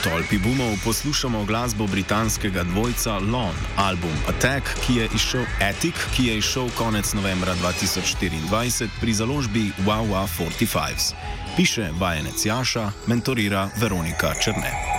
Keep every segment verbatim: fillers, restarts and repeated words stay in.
tolpi boomov poslušamo glasbo britanskega dvojca Lon, album Attack, ki je izšel, Attic, ki je izšel konec novembra dva tisoč štiriindvajset pri založbi Wow Wow štirideset pet. Piše vajenec Jaša, mentorira Veronika Černe.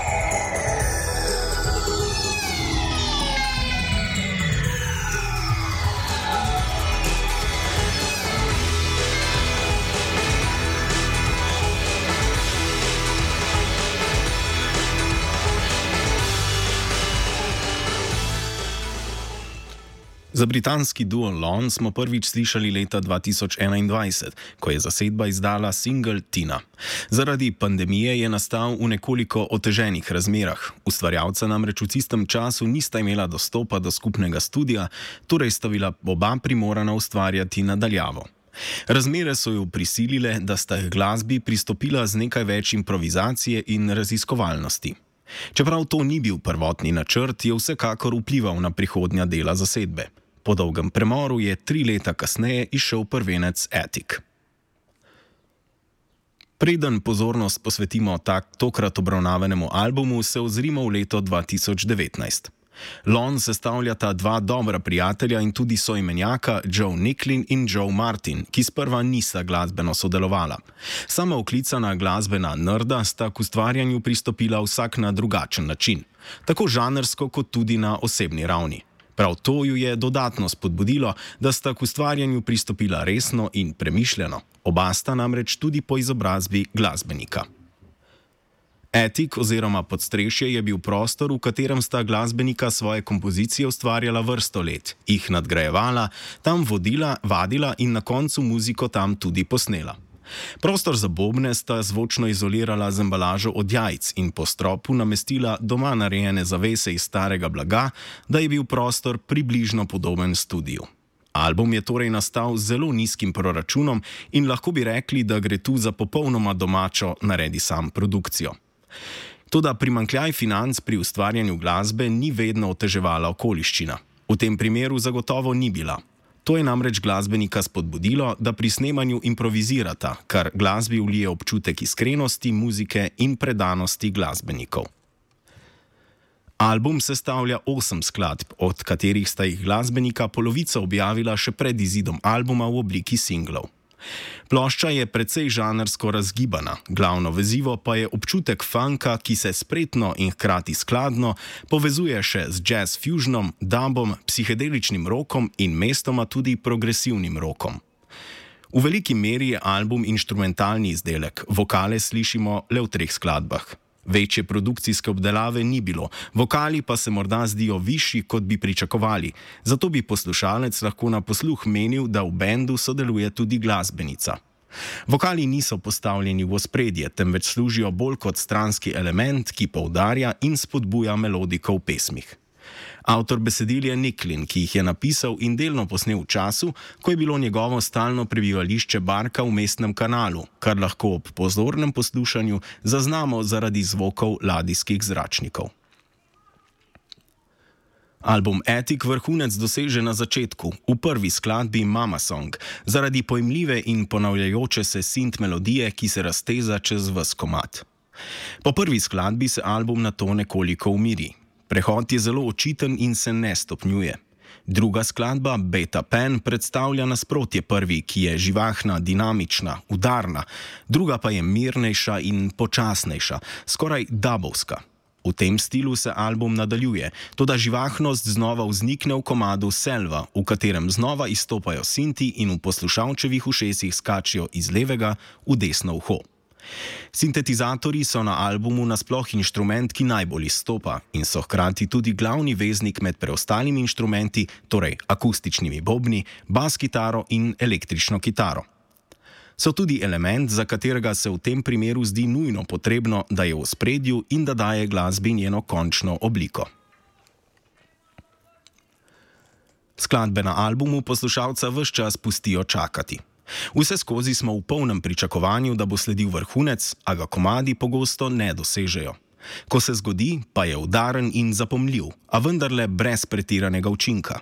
Za britanski duo Lon smo prvič slišali leta dva tisoč enaindvajset, ko je zasedba izdala singel Tina. Zaradi pandemije je nastal v nekoliko oteženih razmerah. Ustvarjalca namreč v tistem času nista imela dostopa do skupnega studia, torej sta bila oba primorana ustvarjati nadaljavo. Razmere so jo prisilile, da sta k glasbi pristopila z nekaj več improvizacije in raziskovalnosti. Čeprav to ni bil prvotni načrt, je vsekakor vplival na prihodnja dela zasedbe. Po dolgem premoru je tri leta kasneje izšel prvenec Attic. Preden pozornost posvetimo tak, tokrat obravnavanemu albumu, se ozrimo v leto dva tisoč devetnajst. Lon sestavljata dva dobra prijatelja in tudi soimenjaka Joe Nicklin in Joe Martin, ki sprva nista glasbeno sodelovala. Sama oklicana glasbena nerda sta k ustvarjanju pristopila vsak na drugačen način, tako žanrsko kot tudi na osebni ravni. Prav to ju je dodatno spodbudilo, da sta k ustvarjanju pristopila resno in premišljeno. Oba sta namreč tudi po izobrazbi glasbenika. Attic oziroma Podstrešje je bil prostor, v katerem sta glasbenika svoje kompozicije ustvarjala vrsto let, jih nadgrajevala, tam vodila, vadila in na koncu muziko tam tudi posnela. Prostor za bobne sta zvočno izolirala z embalažo od jajc in po stropu namestila doma narejene zavese iz starega blaga, da je bil prostor približno podoben studiu. Album je torej nastal z zelo nizkim proračunom in lahko bi rekli, da gre tu za popolnoma domačo naredi sam produkcijo. Toda primanjkljaj financ pri ustvarjanju glasbe ni vedno oteževala okoliščina. V tem primeru zagotovo ni bila. To je namreč glasbenika spodbudilo, da pri snemanju improvizirata, kar glasbi vlije občutek iskrenosti, muzike in predanosti glasbenikov. Album sestavlja osem skladb, od katerih sta jih glasbenika polovico objavila še pred izidom albuma v obliki singlov. Plošča je precej žanrsko razgibana, glavno vezivo pa je občutek funka, ki se spretno in hkrati skladno povezuje še z jazz fusionom, dubom, psihedeličnim rokom in mestoma tudi progresivnim rokom. V veliki meri je album inštrumentalni izdelek, vokale slišimo le v treh skladbah. Večje produkcijske obdelave ni bilo, vokali pa se morda zdijo višji, kot bi pričakovali, zato bi poslušalec lahko na posluh menil, da v bendu sodeluje tudi glasbenica. Vokali niso postavljeni v ospredje, temveč služijo bolj kot stranski element, ki poudarja in spodbuja melodiko v pesmih. Avtor besedil je Nicklin, ki jih je napisal in delno posnel v času, ko je bilo njegovo stalno prebivališče barka v mestnem kanalu, kar lahko ob pozornem poslušanju zaznamo zaradi zvokov ladijskih zračnikov. Album Attic vrhunec doseže na začetku, v prvi skladbi Mama Song, zaradi pojmljive in ponavljajoče se synth melodije, ki se razteza čez ves komad. Po prvi skladbi se album nato nekoliko umiri. Prehod je zelo očiten in se ne stopnjuje. Druga skladba, Beta Pen, predstavlja nasprotje prvi, ki je živahna, dinamična, udarna, druga pa je mirnejša in počasnejša, skoraj dubovska. V tem stilu se album nadaljuje, toda živahnost znova vznikne v komadu Selva, v katerem znova izstopajo sinti in v poslušalčevih ušesih skačijo iz levega v desno uho. Sintetizatorji so na albumu nasploh inštrument, ki najbolj izstopa in so hkrati tudi glavni veznik med preostalimi inštrumenti, torej akustičnimi bobni, bas kitaro in električno kitaro. So tudi element, za katerega se v tem primeru zdi nujno potrebno, da je v ospredju in da daje glasbi njeno končno obliko. Skladbe na albumu poslušalca ves čas pustijo čakati. Vse skozi smo v polnem pričakovanju, da bo sledil vrhunec, a ga komadi pogosto ne dosežejo. Ko se zgodi, pa je udaren in zapomljiv, a vendarle brez pretiranega učinka.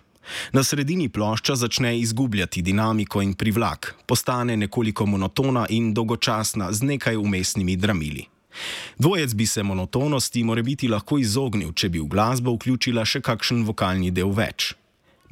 Na sredini plošča začne izgubljati dinamiko in privlak, postane nekoliko monotona in dolgočasna z nekaj vmesnimi dramili. Dvojec bi se monotonosti morebiti lahko izognil, če bi v glasbo vključila še kakšen vokalni del več.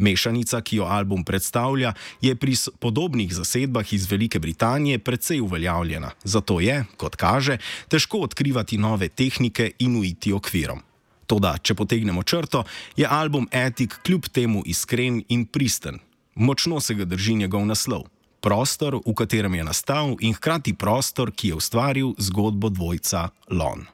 Mešanica, ki jo album predstavlja, je pri podobnih zasedbah iz Velike Britanije precej uveljavljena, zato je, kot kaže, težko odkrivati nove tehnike in uiti okvirom. Toda, če potegnemo črto, je album Attic kljub temu iskren in pristen. Močno se ga drži njegov naslov. Prostor, v katerem je nastal, in hkrati prostor, ki je ustvaril zgodbo dvojca Lon.